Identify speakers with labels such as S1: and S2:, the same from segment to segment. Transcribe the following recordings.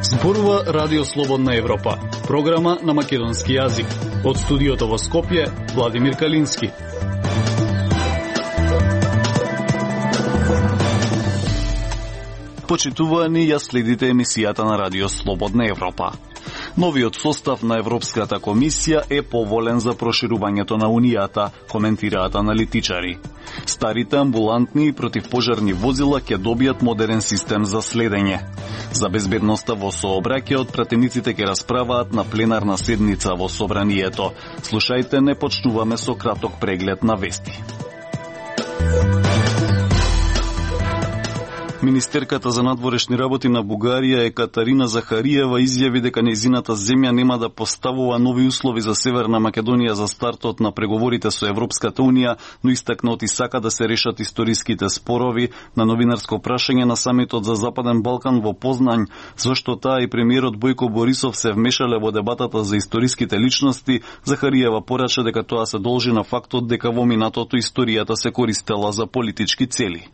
S1: Зборува Радио Слободна Европа, програма на македонски јазик. Од студиото во Скопје, Владимир Калински. Почитувани, ја следите емисијата на Радио Слободна Европа. Новиот состав на Европската комисија е поволен за проширувањето на Унијата, коментираат аналитичари. Старите амбулантни и противпожарни возила ќе добијат модерен систем за следење. За безбедноста во сообраќајот пратениците ќе расправаат на пленарна седница во Собранието. Слушајте, не почнуваме со краток преглед на вести. Министерката за надворешни работи на Бугарија Екатерина Захариева изјави дека нејзината земја нема да поставува нови услови за Северна Македонија за стартот на преговорите со Европската Унија, но истакна оти сака да се решат историските спорови. На новинарско прашање на самитот за Западен Балкан во Познањ, зашто таа и премиерот Бојко Борисов се вмешале во дебатата за историските личности, Захариева порача дека тоа се должи на фактот дека во минатото историјата се користела за политички цели.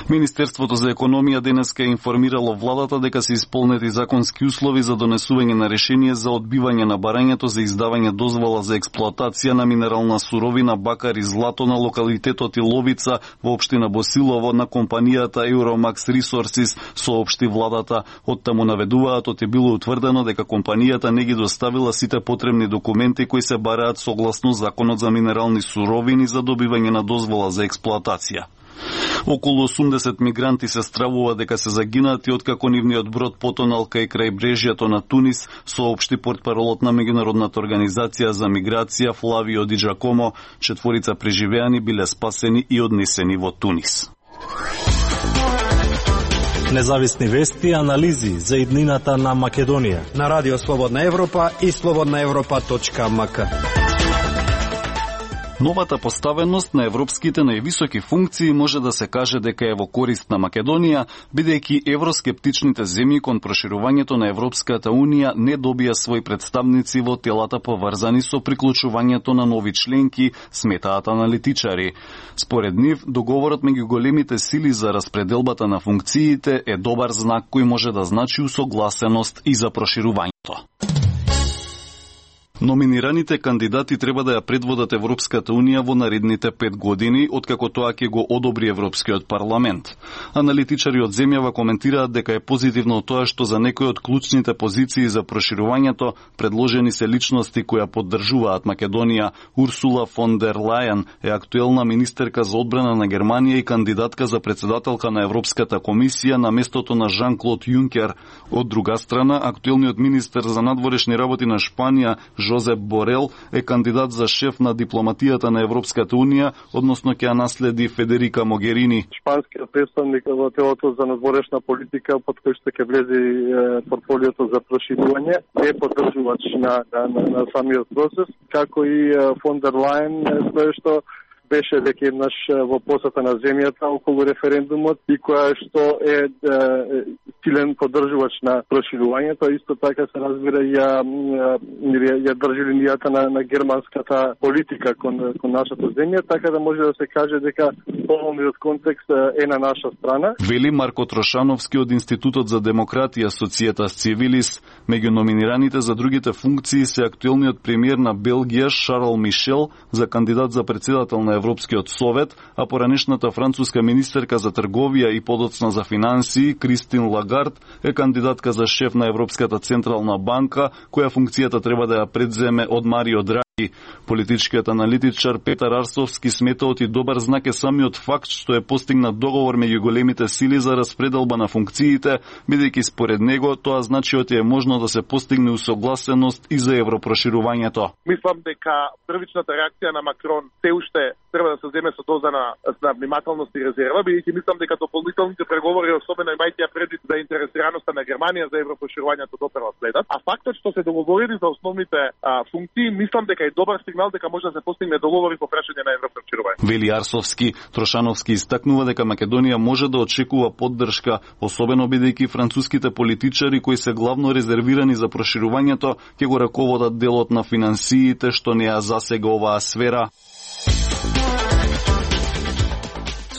S1: Министерството за економија денеска информирало владата дека се исполнети законски услови за донесување на решение за одбивање на барањето за издавање дозвола за експлоатација на минерална суровина бакар и злато на локалитетот Иловица во општина Босилово на компанијата Euromax Resources, соопшти владата. Оттаму наведуваат оти било утврдено дека компанијата не ги доставила сите потребни документи кои се бараат согласно Законот за минерални суровини за добивање на дозвола за експлоатација. Околу 80 мигранти се стравува дека се загинати откако нивниот брод потонал кај крајбрежјето на Тунис, соопшти портпаролот на меѓународната организација за миграција Флавио Ди Джакомо. 4 преживеани биле спасени и однесени во Тунис.
S2: Независни вести и анализи за иднината на Македонија
S3: на Радио Слободна Европа и slobodnaevropa.mk.
S1: Новата поставеност на европските највисоки функции може да се каже дека е во корист на Македонија, бидејќи евроскептичните земји кон проширувањето на Европската Унија не добија своји представници во телата поврзани со приклучувањето на нови членки, сметаат аналитичари. Според нив, договорот меѓу големите сили за распределбата на функциите е добар знак кој може да значи усогласеност и за проширувањето. Номинираните кандидати треба да ја предводат Европската Унија во наредните 5 години, откако тоа ќе го одобри Европскиот парламент. Аналитичари од земјава коментираат дека е позитивно тоа што за некои од клучните позиции за проширувањето предложени се личности кои поддржуваат Македонија. Урсула фон дер Лајен е актуелна министерка за одбрана на Германија и кандидатка за председателка на Европската комисија на местото на Жан-Клод Јункер. Од друга страна, актуелниот министер за надворешни работи на Шпанија Жозеп Борел е кандидат за шеф на дипломатијата на Европската Унија, односно ќе ја наследи Федерика Могерини.
S4: Шпанскиот представник во телото за надворешна политика, под кој што ќе влезе портфолиото за проширување, е поддржувач на самиот процес, како и фон дер Лајен, тоа што беше дека еднаш во посета на земјата околу референдумот и која што е силен поддржувач на проширувањето, исто така се разбира ја држи линијата на германската политика кон нашата земја, така да може да се каже дека полниот контекст е на наша страна.
S1: Вели Марко Трошановски од Институтот за демократија Societas Civilis. Меѓу номинираните за другите функции се актуелниот премиер на Белгија Шарл Мишел за кандидат за председател на Европскиот совет, а поранешната француска министерка за трговија и подоцна за финансии Кристин Лагард е кандидатка за шеф на Европската централна банка, која функцијата треба да ја предземе од Марио Драги. Политичкиот аналитичар Петар Арсовски смета оти добар знак е самиот факт што е постигнат договор меѓу големите сили за распределба на функциите, бидејќи според него тоа значи оти е можно да се постигне усогласеност и за европроширувањето.
S5: Мислам дека првичната реакција на Макрон се уште треба да се земе со доза на внимателност и резерва, бидејќи мислам дека дополнителните преговори, особено имајќи предвид за интересираноста на Германија за европроширувањето доперва следат, а фактот што се договорили за основните функции, мислам дека е добар сигнал дека може да се постигне договори по прашање на европроширување.
S1: Вели Арсовски. Трошановски истакнува дека Македонија може да очекува поддршка, особено бидејќи француските политичари кои се главно резервирани за проширувањето ќе го раководат делот на финансиите што не ја засега оваа сфера.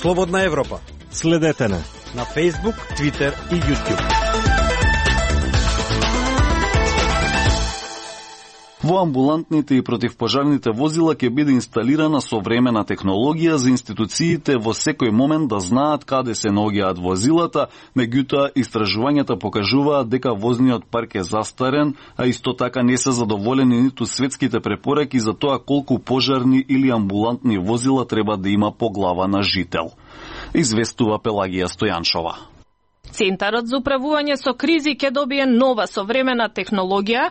S3: Слободна Европа.
S2: Следете не
S3: на Facebook, Twitter и YouTube.
S1: Во амбулантните и противпожарните возила ќе биде инсталирана современа технологија за институциите во секој момент да знаат каде се наоѓаат возилата, меѓутоа истражувањата покажуваат дека возниот парк е застарен, а исто така не се задоволени ниту светските препораки за тоа колку пожарни или амбулантни возила треба да има по глава на жител. Известува Пелагија Стојаншова.
S6: Центарот за управување со кризи ќе добие нова современа технологија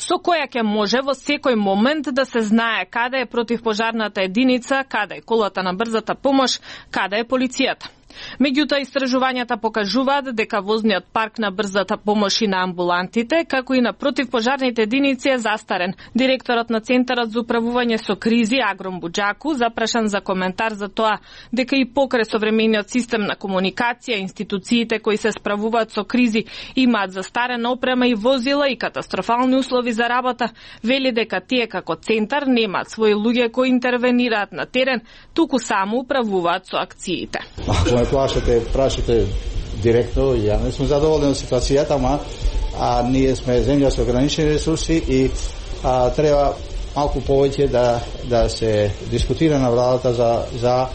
S6: со која ќе може во секој момент да се знае каде е противпожарната единица, каде е колата на брзата помош, каде е полицијата. Меѓутоа, истражувањата покажуваат дека возниот парк на брзата помош и на амбулантите, како и на противпожарните единици е застарен. Директорот на Центарот за управување со кризи, Агром Буџаку, запрашан за коментар за тоа дека и покрај современиот систем на комуникација, институциите кои се справуваат со кризи имаат застарена опрема и возила и катастрофални услови за работа, вели дека тие како центар немаат своји луѓе кои интервенираат на терен, туку само управуваат со акциите.
S7: Прашате директно, ја не сме задоволни од ситуацијата, ама ние сме земја со ограничени ресурси и треба малку повеќе да се дискутира на владата за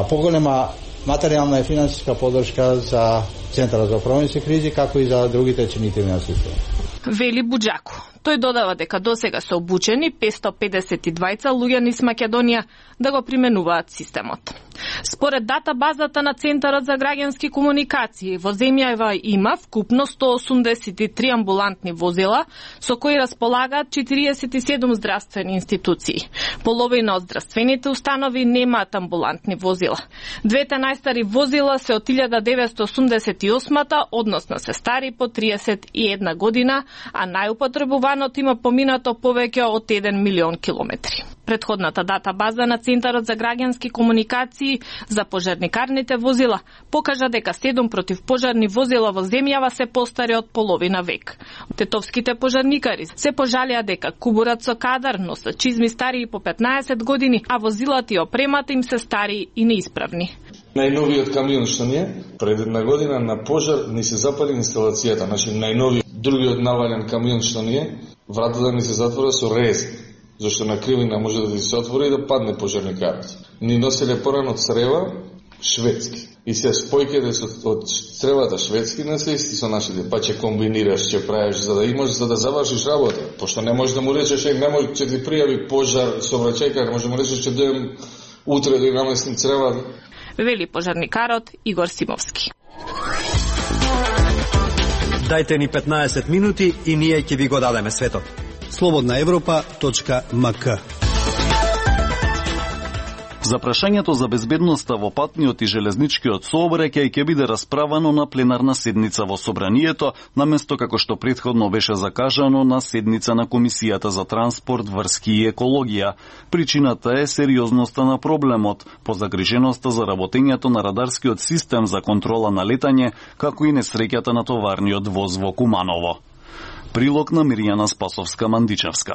S7: поголема материјална и финансиска поддршка за Центарот за управување со кризи, како и за другите чинители на системот.
S6: Вели Буџаку. Тој додава дека досега се обучени 552 луѓе низ Македонија да го применуваат системот. Според датабазата на Центарот за граѓански комуникации, во земјава има вкупно 183 амбулантни возила, со кои располагаат 47 здравствени институции. Половина од здравствените установи немаат амбулантни возила. Двете најстари возила се од 1988-та, односно се стари по 31 година, а најупотребуваното има поминато повеќе од 1 милион километри. Предходната датабаза на Центарот за граѓански комуникации за пожарникарните возила покажа дека 7 противпожарни возила во земјава се постари од половина век. Тетовските пожарникари се пожалија дека кубурат со кадар, но се чизми стари по 15 години, а возилата и опремата им се стари и неисправни.
S8: Најновиот камион што ни е, пред една година на пожар ни се запали инсталацијата, значи најновиот. Другиот навален камион што ни е, вратата ни се затвора со рез, зашто на кривина може да се отвори и да падне пожарникарот. Ни носеле порано од црева шведски. И се спојките од цревата шведски не се исти со нашите, па ќе комбинираш, ќе правиш за да имаш, за да завршиш работа. Пошто не можеш да му речеш, немој ќе ти пријави пожар со враќајкар, може да му речеш ќе дојдем утре да наместим црева.
S6: Вели пожарникарот Игор Симовски.
S3: Дајте ни 15 минути и ние ќе ви го дадеме светот. slobodnaevropa.mk.
S1: За прашањето за безбедноста во патниот и железничкиот сообраќај ќе биде расправано на пленарна седница во Собранието, наместо како што претходно беше закажано на седница на Комисијата за транспорт, врски и екологија. Причината е сериозноста на проблемот, позагриженоста за работењето на радарскиот систем за контрола на летање, како и несреќата на товарниот воз во Куманово. Прилог на Мирјана Спасовска-Мандичевска.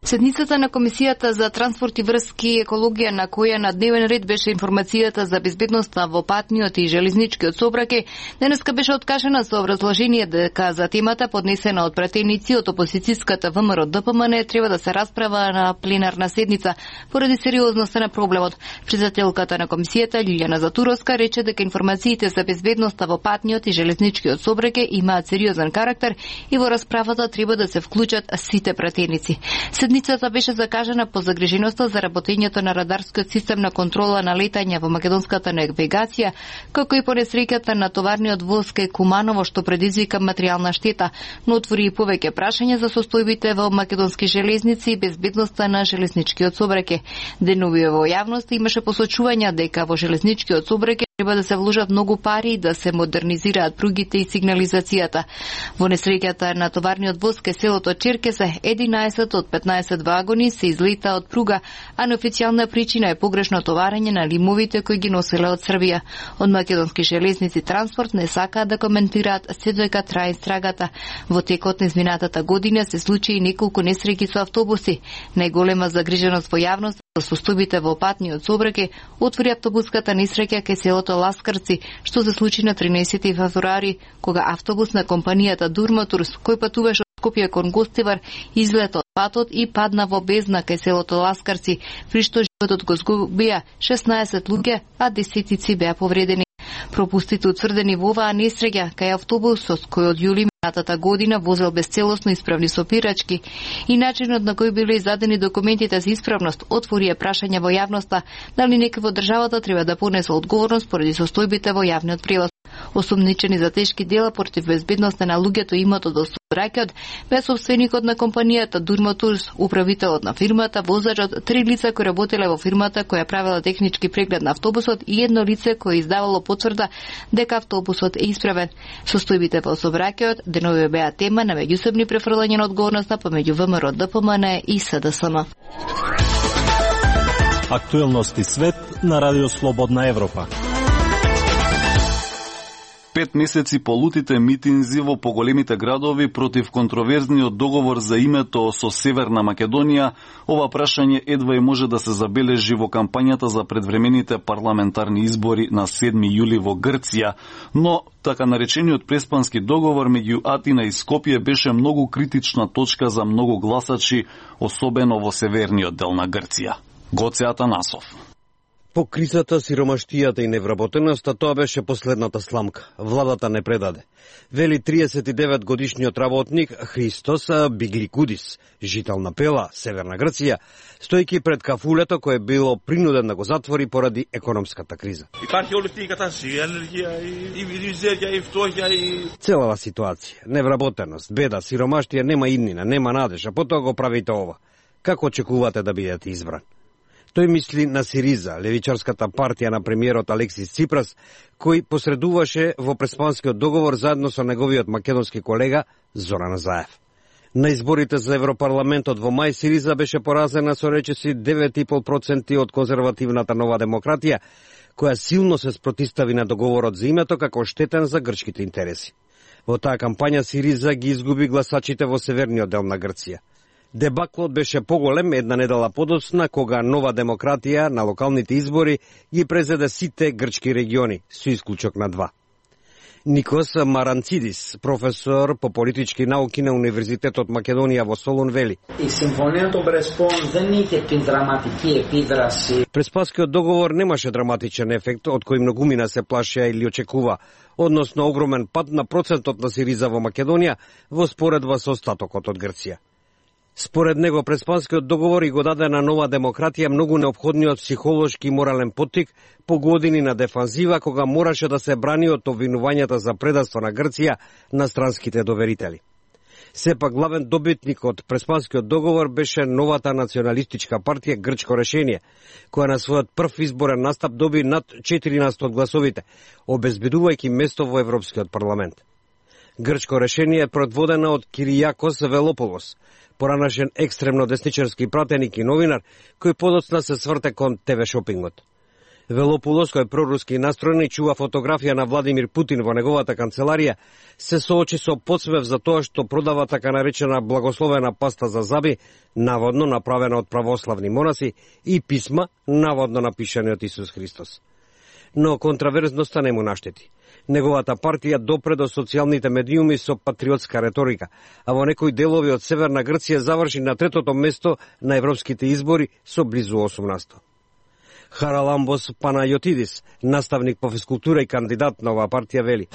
S9: Седницата на Комисијата за транспорт и врски и екологија, на која на дневен ред беше информацијата за безбедноста во патниот и железничкиот сообраќај, денеска беше откажена со образложение дека за темата поднесена од пратеници од опозицијската ВМРО ДПМН треба да се расправа на пленарна седница поради сериозноста на проблемот. Председателката на комисијата Лилјана Затуровска рече дека информациите за безбедноста во патниот и железничкиот сообраќај имаат сериозен карактер и во расправата треба да се вклучат сите пратеници. Седницата беше закажана по загриженоста за работењето на радарскиот систем на контрола на летање во македонската навигација, како и по несреќата на товарниот воз кај Куманово што предизвика материјална штета, но отвори и повеќе прашања за состојбите во македонски железници и безбедноста на железничкиот сообраќај. Деновиве во јавност имаше посочувања дека во железничкиот сообраќај треба да се вложат многу пари и да се модернизираат пругите и сигнализацијата. Во несреќата на товарниот воз кај селото Черкезе, 11 од 15 вагони се излета од пруга, а неофицијална причина е погрешно товарење на лимовите кои ги носеле од Србија. Од македонски железници транспорт не сакаат да коментираат се додека трае истрагата. Во текот на изминатата година се случи неколку несреќи со автобуси. Најголема загриженост во јавност со состојбите во патниот сообраќај отвори автобуската несреќа кај селото Ласкарци, што се случи на 13 февруари, кога автобус на компанијата Дурматурс, кој патуваше од Скопје кон Гостивар, излета од патот и падна во бездна кај селото Ласкарци, при што животот го згубија 16 луѓе, а десетици беа повредени. Пропустите утврдени во оваа несреќа кај автобусот кој од јули минатата година возел безцелосно исправни сопирачки и начинот на кој биле издадени документите за исправност отворија прашања во јавноста дали некој во државата треба да понесе одговорност поради состојбите во јавниот превоз. Осумничени за тешки дела против безбедноста на луѓето и имотот од сообраќајот бе собственикот на компанијата Дурматурс, управителот на фирмата, возачот, 3 лица кои работеле во фирмата која правела технички преглед на автобусот и едно лице кое издавало потврда дека автобусот е исправен. Состојбите во сообраќајот денови беа тема на меѓусебни префрлања на одговорноста помеѓу ВМРО, ДПМН и СДСМ.
S2: Актуелности свет на Радио Слободна Европа.
S1: 5 месеци по лутите митинзи во поголемите градови против контроверзниот договор за името со Северна Македонија, ова прашање едва и може да се забележи во кампањата за предвремените парламентарни избори на 7 јули во Грција, но така наречениот преспански договор меѓу Атина и Скопје беше многу критична точка за многу гласачи, особено во северниот дел на Грција. Гоце Атанасов.
S10: По кризата, сиромаштијата и невработеноста, тоа беше последната сламка. Владата не предаде. Вели 39 годишниот работник Христос Бигликудис, жител на Пела, Северна Грција, стојки пред кафулето кое било принуден да го затвори поради економската криза. Целава ситуација, невработеност, беда, сиромаштија, нема иднина, нема надежа, потоа го правите ова. Како очекувате да бидете избран? Тој мисли на Сириза, левичарската партија на премиерот Алексис Ципрас, кој посредуваше во преспанскиот договор заедно со неговиот македонски колега Зоран Заев. На изборите за Европарламентот во мај Сириза беше поразена со речиси 9,5% од конзервативната Нова демократија, која силно се спротистави на договорот за името како штетен за грчките интереси. Во таа кампања Сириза ги изгуби гласачите во северниот дел на Грција. Дебаклот беше поголем една недела подоцна, кога Нова демократија на локалните избори ги презеде сите грчки региони, со исклучок на 2. Никос Маранцидис, професор по политички науки на Универзитетот Македонија во Солун, вели: Преспанскиот договор немаше драматичен ефект од кој многумина се плашеа или очекува, односно огромен пад на процентот на Сириза во Македонија во споредба со остатокот од Грција. Според него, преспанскиот договор и го даде на Нова демократија многу неопходниот психолошки и морален поттик по години на дефанзива, кога мораше да се брани од обвинувањата за предавство на Грција на странските доверители. Сепак главен добитник од преспанскиот договор беше новата националистичка партија Грчко решение, која на својот прв изборен настап доби над 14% од гласовите, обезбедувајќи место во Европскиот парламент. Грчко решение е предводена од Киријакос Велополос, поранашен екстремно десничарски пратеник и новинар, кој подоцна се сврте кон ТВ шопингот. Велополос, кој е проруски настроен и чува фотографија на Владимир Путин во неговата канцеларија, се соочи со подсмев за тоа што продава така наречена благословена паста за заби, наводно направена од православни монаси, и писма, наводно напишани од Исус Христос. Но контраверзноста не му наштети. Неговата партија допре до социјалните медиуми со патриотска реторика, а во некои делови од Северна Грција заврши на 3-то место на европските избори со близу 8%. Хараламбос Панајотидис, наставник по физкултура и кандидат на оваа партија, вели: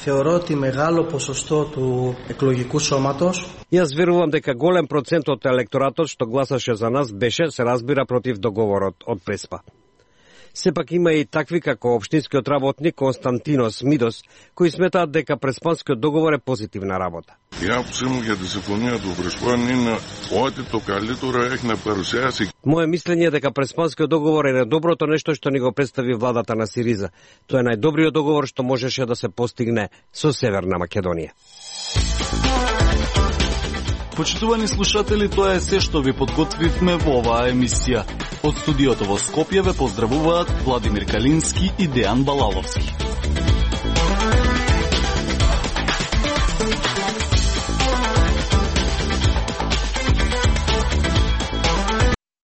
S10: Јас верувам дека голем процент од електоратот што гласаше за нас беше, се разбира, против договорот од Преспа. Сепак има и такви како општинскиот работник Константинос Мидос, кои сметаат дека преспанскиот договор е позитивна работа. Моје мислење е дека преспанскиот договор е најдоброто нешто што ни го представи владата на Сириза. Тоа е најдобриот договор што можеше да се постигне со Северна Македонија.
S1: Почитувани слушатели, тоа е се што ви подготвивме во оваа емисија. Од студиото во Скопје ве поздравуваат Владимир Калински и Дејан Балаловски.